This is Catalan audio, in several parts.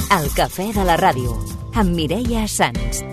El cafè de la ràdio, amb Mireia Sans.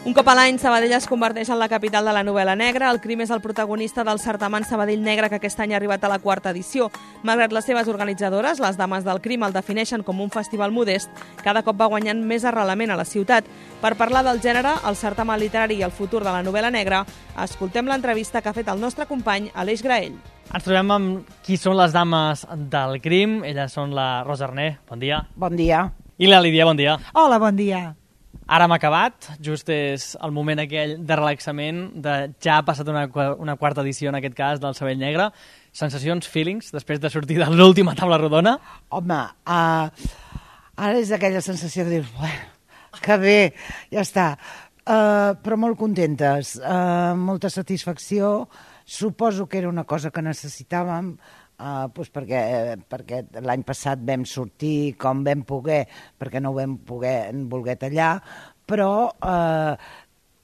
Un cop a l'any, Sabadell es converteix en la capital de la novel·la negra. El Crim és el protagonista del certamen Sabadell Negre, que aquest any ha arribat a la 4ª edició. Malgrat les seves organitzadores, les Dames del Crim el defineixen com un festival modest, cada cop va guanyant més arrelament a la ciutat. Per parlar del gènere, el certamen literari i el futur de la novel·la negra, escoltem l'entrevista que ha fet el nostre company Aleix Graell. Ens trobem amb qui són les Dames del Crim. Elles són la Rosa Arné, bon dia. Bon dia. I la Lídia, bon dia. Hola, bon dia. Ara hem acabat, just és el moment aquell de relaxament, ja ha passat una 4ª edició, en aquest cas, del Sabadell Negre. Sensacions, feelings, després de sortir de l'última taula rodona? Home, ara és aquella sensació de dir, bueno, que bé, ja està. Però molt contentes, molta satisfacció. Suposo que era una cosa que necessitàvem, perquè l'any passat vam sortir com vam poder, perquè no ho vam voler tallar, però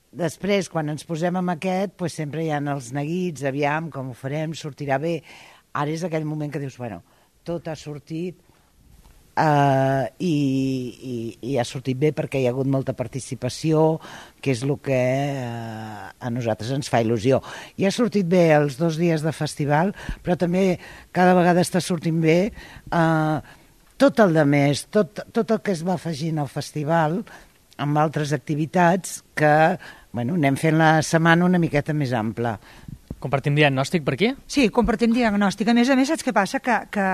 després, quan ens posem amb aquest, sempre hi ha els neguits, aviam, com ho farem, sortirà bé. Ara és aquell moment que dius, bueno, tot ha sortit i ha sortit bé perquè hi ha hagut molta participació, que és el que a nosaltres ens fa il·lusió. I ha sortit bé els 2 dies de festival, però també cada vegada està sortint bé tot el de més, tot el que es va afegint al festival amb altres activitats que anem fent la setmana una miqueta més ampla. Compartim diagnòstic per aquí? Sí, compartim diagnòstic. A més, saps què passa? Que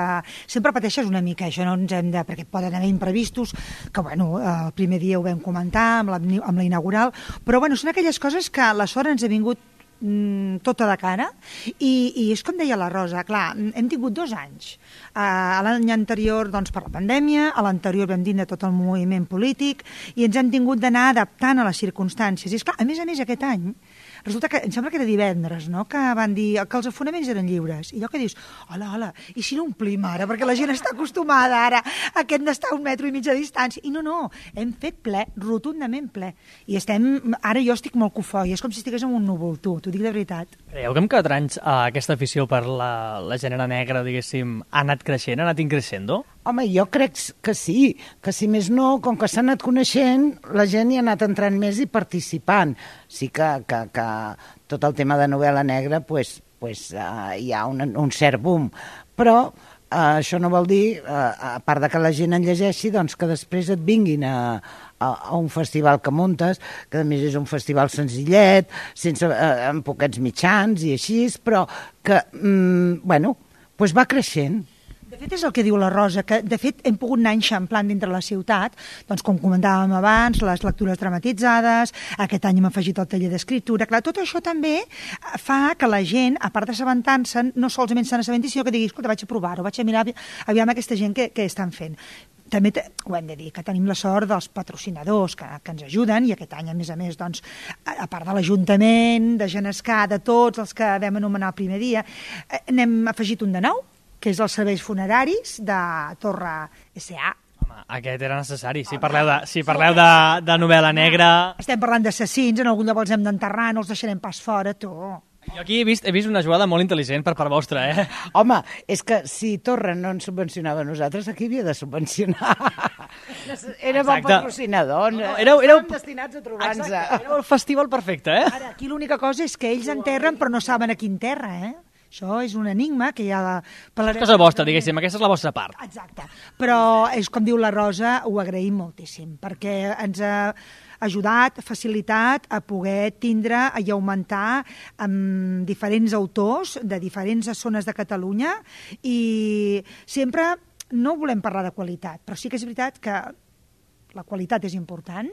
sempre pateixes una mica, això no ens hem de... perquè poden haver imprevistos, que el primer dia ho vam comentar amb la inaugural, però són aquelles coses que la sort ens ha vingut tota de cara i és com deia la Rosa, clar, hem tingut 2 anys. A l'any anterior per la pandèmia, a l'anterior vam dir de tot el moviment polític i ens hem tingut d'anar adaptant a les circumstàncies. I esclar, a més, aquest any resulta que, em sembla que era divendres, no?, que van dir que els afonaments eren lliures. I allò que dius, hola, i si no omplim ara? Perquè la gent està acostumada ara a aquest d'estar a 1,5 metres de distància. I no, hem fet ple, rotundament ple. I ara jo estic molt cofoi, és com si estigués en un núvol, t'ho dic de veritat. Creieu que amb 4 anys aquesta afició per la gènere negra, diguéssim, ha anat creixent, ha anat increixendo? Home, jo crec que sí, que si més no, com que s'ha anat coneixent, la gent hi ha anat entrant més i participant. Sí que tot el tema de novel·la negra hi ha un cert boom, però això no vol dir, a part de que la gent en llegeixi, que després et vinguin a un festival que muntes, que a més és un festival senzillet, amb poquets mitjans i així, però que, va creixent. De fet, és el que diu la Rosa, que de fet hem pogut anar enxamplant dintre la ciutat, com comentàvem abans, les lectures dramatitzades, aquest any hem afegit el taller d'escriptura. Clar, tot això també fa que la gent, a part d'assabentar-se'n, no solament se n'assabenti, sinó que digui, escolta, vaig a provar-ho, vaig a mirar aviam aquesta gent que estan fent. També ho hem de dir, que tenim la sort dels patrocinadors que ens ajuden, i aquest any, a més, a part de l'Ajuntament, de Genescà, de tots els que vam anomenar el primer dia, n'hem afegit un de nou, que és els serveis funeraris de Torre S.A. Home, aquest era necessari. Si parleu de novel·la negra... Estem parlant d'assassins, en algun lloc els hem d'enterrar, no els deixarem pas fora, tu. Jo aquí he vist una jugada molt intel·ligent per part vostra, Home, és que si Torre no ens subvencionava a nosaltres, aquí havia de subvencionar. Era bon patrocinador. Estàvem destinats a trobar-nos. Era el festival perfecte, Ara, aquí l'única cosa és que ells enterren, però no saben a quin terra, Això és un enigma que hi ha... És cosa vostra, diguéssim, aquesta és la vostra part. Exacte, però és com diu la Rosa, ho agraïm moltíssim, perquè ens ha ajudat, facilitat a poder tindre i augmentar amb diferents autors de diferents zones de Catalunya i sempre no volem parlar de qualitat, però sí que és veritat que la qualitat és important.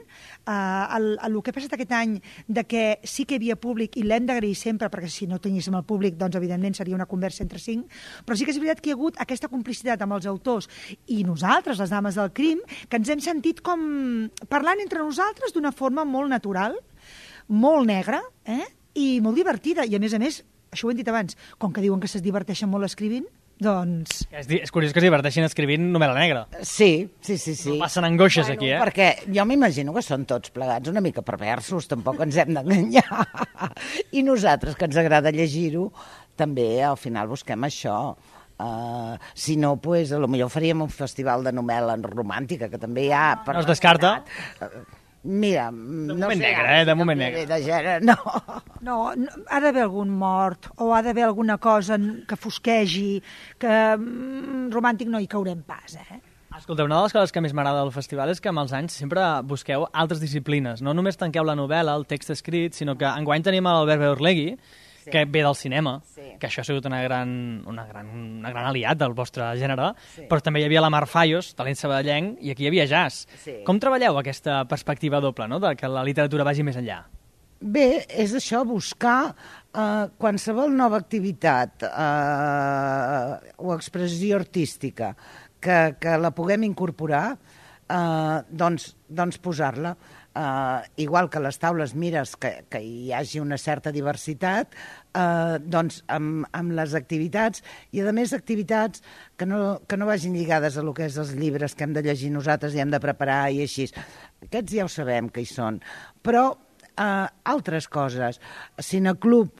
El que ha passat aquest any de que sí que hi havia públic i l'hem d'agrair sempre, perquè si no tinguéssim el públic, doncs evidentment seria una conversa entre 5, però sí que és veritat que hi ha hagut aquesta complicitat amb els autors i nosaltres, les Dames del Crim, que ens hem sentit com parlant entre nosaltres d'una forma molt natural, molt negra, i molt divertida. I a més, això ho hem dit abans, com que diuen que es diverteixen molt escrivint, Doncs... És curiós que es diverteixin escrivint novel·la negra. Sí. No passen angoixes aquí, Perquè jo m'imagino que són tots plegats una mica perversos, tampoc ens hem d'enganyar. I nosaltres, que ens agrada llegir-ho, també al final busquem això. Si no, pues, potser faríem un festival de novel·la romàntica, que també hi ha... No es descarta? Mira, de moment negre, de moment negre. De gènere, no. No, ha d'haver algun mort o ha d'haver alguna cosa que fosquegi, que romàntic no hi caurem pas, Escolta, una de les coses que més m'agrada del festival és que amb els anys sempre busqueu altres disciplines. No només tanqueu la novel·la, el text escrit, sinó que enguany tenim l'Albert Beorlegui, que ve del cinema, que això ha sigut una gran aliat del vostre gènere, però també hi havia la Mar Fallos, talent sabadellenc, i aquí hi havia jazz. Com treballeu aquesta perspectiva doble, no?, de que la literatura vagi més enllà? Bé, és això, buscar qualsevol nova activitat o expressió artística que la puguem incorporar, doncs posar-la. Igual que a les taules mires que hi hagi una certa diversitat, doncs amb les activitats, i a més activitats que no vagin lligades a lo que és els llibres que hem de llegir nosaltres i hem de preparar i així. Aquests ja ho sabem que hi són, però altres coses. Cineclub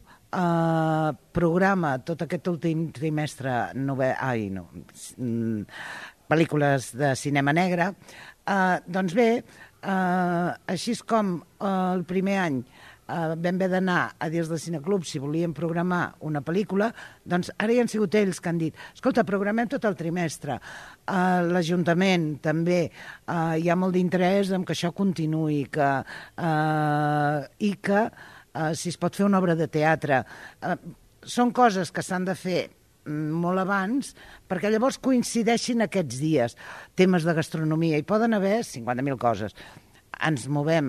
programa tot aquest últim trimestre pel·lícules de cinema negre, doncs bé, així com el primer any vam haver d'anar a dir del Cineclub si volíem programar una pel·lícula, doncs ara hi han sigut ells que han dit, escolta, programem tot el trimestre. L'Ajuntament també hi ha molt d'interès en que això continuï, i que si es pot fer una obra de teatre. Són coses que s'han de fer molt abans, perquè llavors coincideixin aquests dies. Temes de gastronomia, hi poden haver 50.000 coses. Ens movem,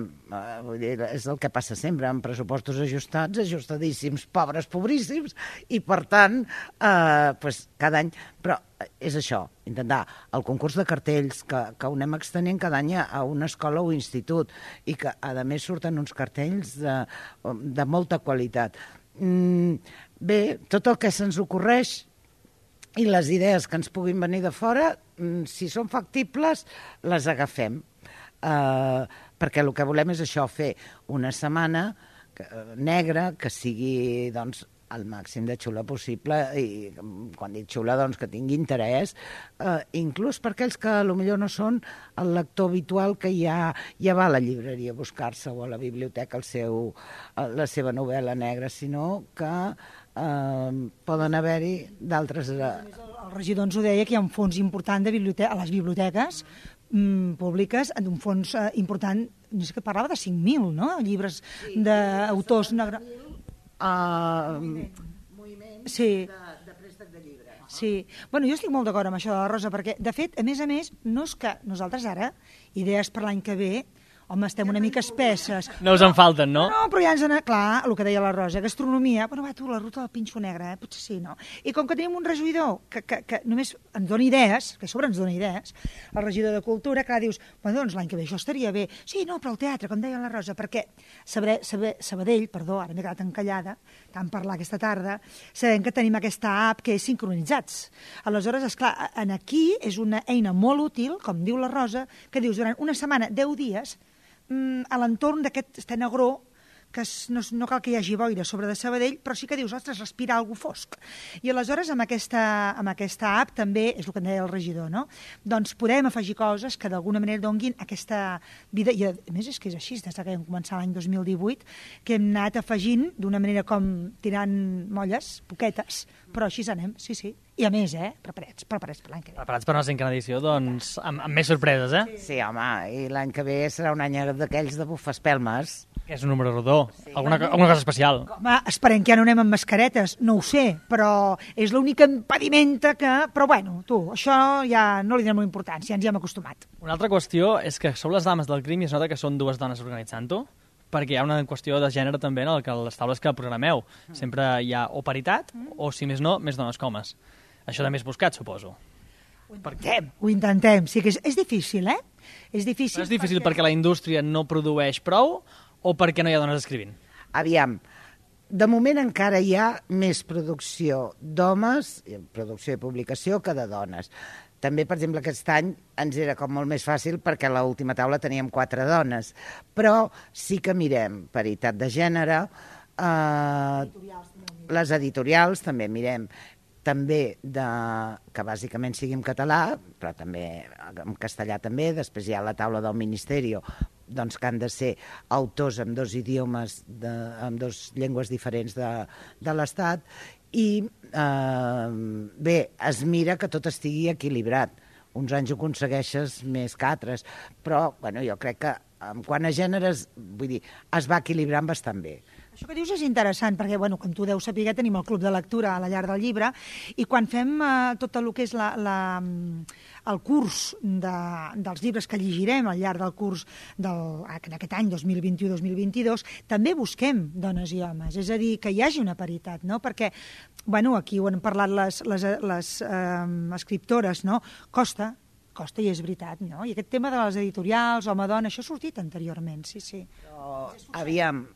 és el que passa sempre, amb pressupostos ajustats, ajustadíssims, pobres, pobríssims, i per tant, cada any... Però és això, intentar el concurs de cartells, que ho anem extenent cada any a una escola o institut, i que, a més, surten uns cartells de molta qualitat. Bé, tot el que se'ns ocorreix i les idees que ens puguin venir de fora, si són factibles, les agafem. Perquè el que volem és això, fer una setmana negra que sigui, doncs, el màxim de xula possible, i quan dic xula, doncs, que tingui interès, inclús per aquells que potser no són el lector habitual que ja va a la llibreria a buscar-se o a la biblioteca la seva novel·la negra, sinó que poden haver-hi d'altres... El regidor ens ho deia, que hi ha un fons important a les biblioteques públiques, un fons important, no sé, que parlava de 5.000, no?, llibres d'autors... moviment de préstec de llibres. Sí. Bueno, jo estic molt d'acord amb això de la Rosa, perquè, de fet, a més, no és que nosaltres ara, idees per l'any que ve, home, estem una mica espesses. No us en falten, no? No, però ja ens n'ha... Clar, el que deia la Rosa, gastronomia, bueno, va, tu, la ruta del pinxo negre, potser sí, no? I com que tenim un regidor que només ens dona idees, que a sobre ens dona idees, el regidor de Cultura, clar, dius, bueno, doncs l'any que ve això estaria bé. Sí, no, però el teatre, com deia la Rosa, perquè Sabadell, perdó, ara m'he quedat encallada, tant parlar aquesta tarda, sabem que tenim aquesta app que és sincronitzats. Aleshores, esclar, aquí és una eina molt útil, com diu la Rosa, que dius, durant una setmana, 10 dies, a l'entorn d'aquest Estenegró, que no cal que hi hagi boira sobre de Sabadell, però sí que dius, ostres, respira algú fosc. I aleshores amb aquesta app també, és el que en deia el regidor, no? Doncs podem afegir coses que d'alguna manera donguin aquesta vida, i a més és que és així, des que vam començar l'any 2018, que hem anat afegint d'una manera com tirant molles, poquetes, però així anem, sí. I a més, preparats per l'any que ve. Preparats per una cinquena edició, doncs, amb més sorpreses, Sí, home, i l'any que ve serà un any d'aquells de bufespelmes. Que és un número rodó, sí. Alguna cosa especial. Home, esperem que ja no anem amb mascaretes, no ho sé, però és l'única impedimenta que... Però bueno, tu, això ja no li donem una importància, ens hi hem acostumat. Una altra qüestió és que sou les dames del crim i es nota que són dues dones organitzant-ho, perquè hi ha una qüestió de gènere també en les taules que programeu. Sempre hi ha o paritat, o si més no, més dones que homes. Això també és buscat, suposo. Ho intentem. Sí que és difícil, És difícil. Però és difícil perquè la indústria no produeix prou o perquè no hi ha dones escrivint? Aviam, de moment encara hi ha més producció d'homes, producció i publicació, que de dones. També, per exemple, aquest any ens era com molt més fàcil perquè a l'última taula teníem 4 dones, però sí que mirem paritat de gènere, les editorials també mirem, també que bàsicament sigui en català, però també en castellà també. Després hi ha la taula del Ministeri, doncs, que han de ser autors amb 2 idiomes, amb 2 llengües diferents de l'Estat, i bé, es mira que tot estigui equilibrat. Uns anys ho aconsegueixes més que altres, però bueno, jo crec que quant a gèneres, vull dir, es va equilibrant bastant bé. Això que dius és interessant, perquè, bueno, com tu deus saber, tenim el Club de Lectura a la Llar del Llibre, i quan fem tot el que és el curs dels llibres que llegirem al llarg del curs en aquest any 2021-2022, també busquem dones i homes, és a dir, que hi hagi una paritat, no? Perquè, bueno, aquí ho han parlat les escriptores, no? Costa, i és veritat, no? I aquest tema de les editorials, home-dona, això ha sortit anteriorment, sí. Però, aviam,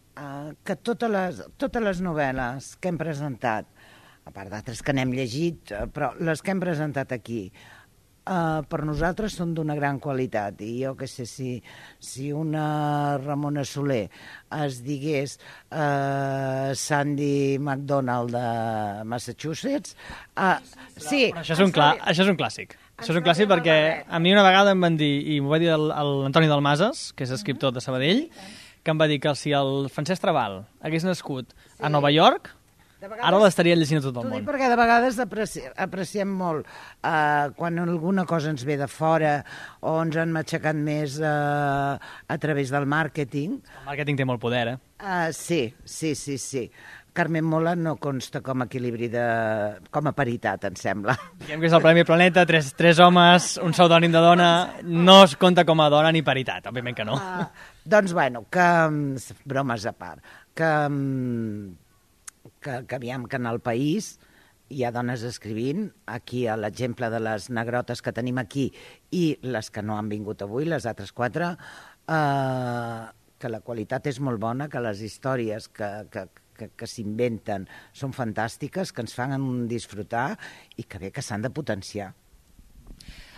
que totes les novel·les que hem presentat, a part d'altres que n'hem llegit, però les que hem presentat aquí, per nosaltres són d'una gran qualitat. I jo què sé, si una Ramona Soler es digués Sandy McDonald de Massachusetts... sí, això és un clàssic. Això és un clàssic perquè a mi una vegada em van dir, i m'ho va dir l'Antoni Dalmases, que és escriptor de Sabadell, que em va dir que si el Francesc Trabal hagués nascut a Nova York, ara l'estaria llegint a tot el món. T'ho dic perquè de vegades apreciem molt quan alguna cosa ens ve de fora o ens han matxacat més a través del màrqueting. El màrqueting té molt poder, Sí. Carmen Mola no consta com a equilibri com a paritat, em sembla. Diguem que és el Premi Planeta, 3 homes, un pseudònim de dona, no es compta com a dona ni paritat, òbviament que no. Doncs, bueno, que bromes a part, que aviam que en el país hi ha dones escrivint, aquí a l'exemple de les negrotes que tenim aquí i les que no han vingut avui, les altres 4, que la qualitat és molt bona, que les històries que s'inventen són fantàstiques, que ens fan disfrutar i que bé que s'han de potenciar.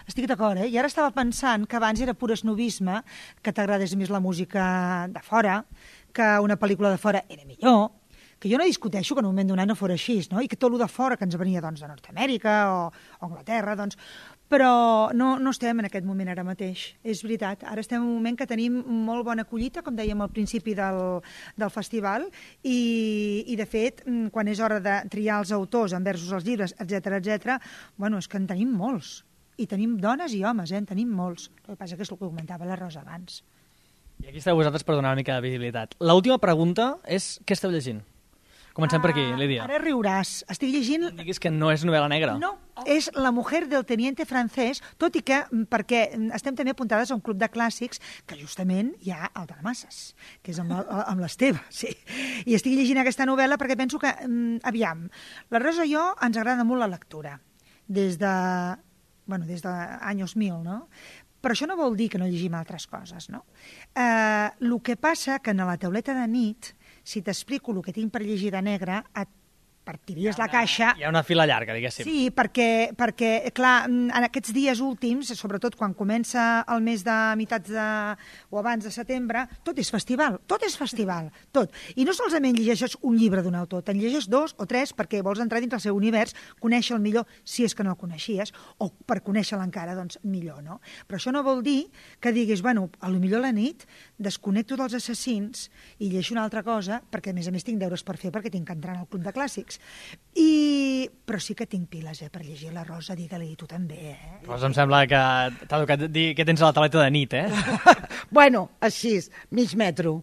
Estic d'acord, I ara estava pensant que abans era pur esnovisme, que t'agradés més la música de fora, que una pel·lícula de fora era millor, que jo no discuteixo que en un moment donat no fos així, no? I que tot el de fora que ens venia de Nord-Amèrica o Anglaterra, però no estem en aquest moment ara mateix, és veritat. Ara estem en un moment que tenim molt bona collita, com dèiem al principi del festival, i de fet, quan és hora de triar els autors enversus els llibres, etc, bueno, és que en tenim molts. I tenim dones i homes, en tenim molts. El que passa que és el que comentava la Rosa abans. I aquí esteu vosaltres per donar una mica de visibilitat. L'última pregunta és què esteu llegint? Comencem per aquí, Lídia. Ara riuràs. Estic llegint... No diguis que no és novel·la negra. No, és La mujer del teniente francès, tot i que, perquè estem també apuntades a un club de clàssics que justament hi ha el Dalmases, que és amb l'Esteve, sí. I estic llegint aquesta novel·la perquè penso que, aviam, la Rosa i jo ens agrada molt la lectura, des d'anys 1000, no? Però això no vol dir que no llegim altres coses, no? El que passa que en la tauleta de nit, si t'explico el que tinc per llegir de negre, et partiries la caixa... Hi ha una fila llarga, diguéssim. Sí, perquè, clar, en aquests dies últims, sobretot quan comença el mes de o abans de setembre, tot és festival, tot. I no solament llegeixes un llibre d'un autor, te'n llegeixes 2 o 3 perquè vols entrar dins el seu univers, conèixer-lo millor, si és que no el coneixies, o per conèixer-lo encara, doncs millor, no? Però això no vol dir que diguis, bueno, potser a la nit desconnecto dels assassins i llegeixo una altra cosa, perquè a més tinc deures per fer, perquè tinc que entrar al club de clàssics. Però sí que tinc piles, per llegir la Rosa, digue-li, tu també, Rosa, em sembla que t'ha tocat dir què tens a la tauleta de nit, Bueno, així, mig metro.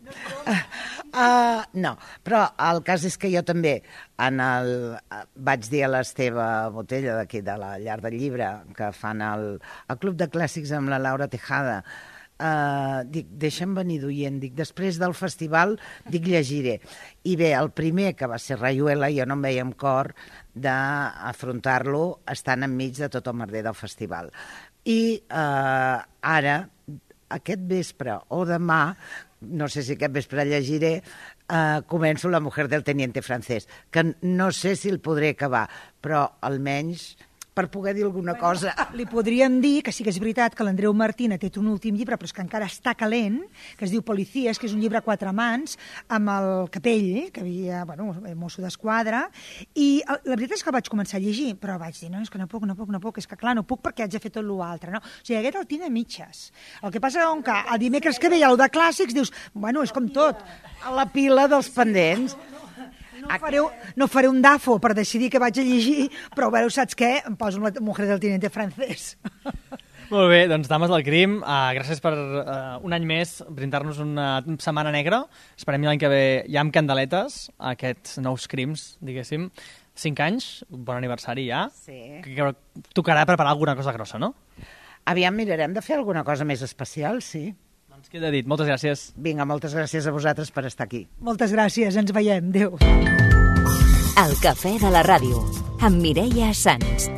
No, però el cas és que jo també vaig dir a l'Esteve Botella d'aquí de la Llar del Llibre, que fan el Club de Clàssics amb la Laura Tejada, dic, deixa'm venir d'oient, dic, després del festival, dic, llegiré. I bé, el primer, que va ser Rayuela, jo no em veia amb cor d'afrontar-lo estant enmig de tot el merder del festival. I ara, aquest vespre o demà, no sé si aquest vespre llegiré, començo La mujer del teniente francès, que no sé si el podré acabar, però almenys per poder dir alguna cosa. Li podríem dir que sí que és veritat que l'Andreu Martín ha tret un últim llibre, però és que encara està calent, que es diu Policies, que és un llibre a 4 mans, amb el Capell, que havia, mosso d'esquadra, i la veritat és que el vaig començar a llegir, però vaig dir, no, és que no puc, és que clar, no puc perquè haig de fer tot l'altre, no? O sigui, aquest el tinc a mitges. El que passa és que el dimecres que ve hi ha el de clàssics, dius, és com tot. A la pila dels pendents. No faré un dafo per decidir què vaig a llegir, però saps què? Em poso La mujer del teniente francès. Molt bé, doncs Dames del Crim, gràcies per un any més brindar-nos una setmana negra. Esperem l'any que ve ja amb candeletes, aquests nous crims, diguéssim. 5 anys, bon aniversari ja. Sí. Que tocarà preparar alguna cosa grossa, no? Aviam, mirarem de fer alguna cosa més especial, sí. Doncs queda dit, moltes gràcies. Vinga, moltes gràcies a vosaltres per estar aquí. Moltes gràcies, ens veiem, adéu. El cafè de la ràdio, amb Mireia Sans.